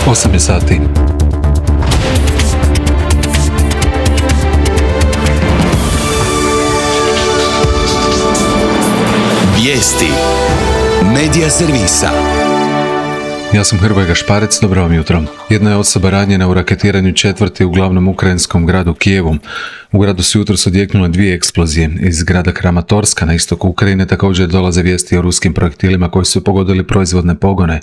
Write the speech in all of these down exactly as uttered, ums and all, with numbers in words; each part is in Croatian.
osam je sati. Vijesti Medija servisa. Ja sam Hrvoje Gašparec, dobro vam jutro. Jedna je osoba ranjena u raketiranju četvrti u glavnom ukrajinskom gradu Kijevu. U gradu su jutros odjeknule dvije eksplozije. Iz grada Kramatorska na istoku Ukrajine također dolaze vijesti o ruskim projektilima koji su pogodili proizvodne pogone.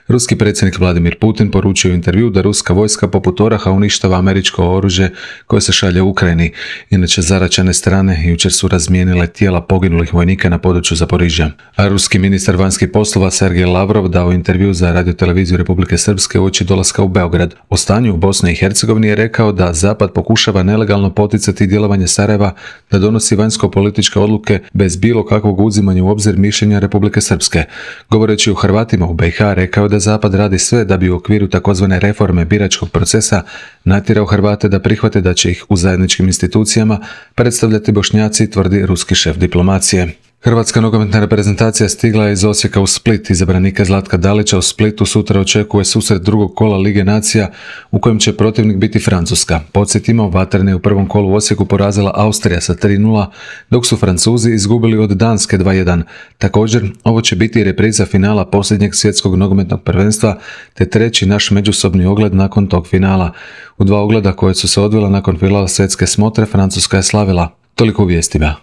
Ruski predsjednik Vladimir Putin poručio u intervju da ruska vojska poput oraha uništava američko oružje koje se šalje u Ukrajini. Inače, zaraćene strane jučer su razmijenile tijela poginulih vojnika na području Zaporižja. A ruski ministar vanjskih poslova Sergej Lavrov dao intervju za radioteleviziju Republike Srpske uoči dolaska u Beograd. O stanju u Bosni i Hercegovini je rekao da Zapad pokušava nelegalno poticati djelovanje Sarajeva da donosi vanjsko-političke odluke bez bilo kakvog uzimanja u obzir mišljenja Republike Srpske. Govoreći o Hrvatima u be i ha, rekao je da Zapad radi sve da bi u okviru takozvane reforme biračkog procesa natjerao Hrvate da prihvate da će ih u zajedničkim institucijama predstavljati Bošnjaci, tvrdi ruski šef diplomacije. Hrvatska nogometna reprezentacija stigla je iz Osijeka u Split. Izabranika Zlatka Dalića u Splitu sutra očekuje susret drugog kola Lige nacija u kojem će protivnik biti Francuska. Podsjetimo, Vatrena je u prvom kolu u Osijeku porazila Austrija sa tri nula, dok su Francuzi izgubili od Danske dva jedan. Također, ovo će biti repriza finala posljednjeg svjetskog nogometnog prvenstva, te treći naš međusobni ogled nakon tog finala. U dva ogleda koje su se odvila nakon finala svjetske smotre, Francuska je slavila. Toliko u vijestima.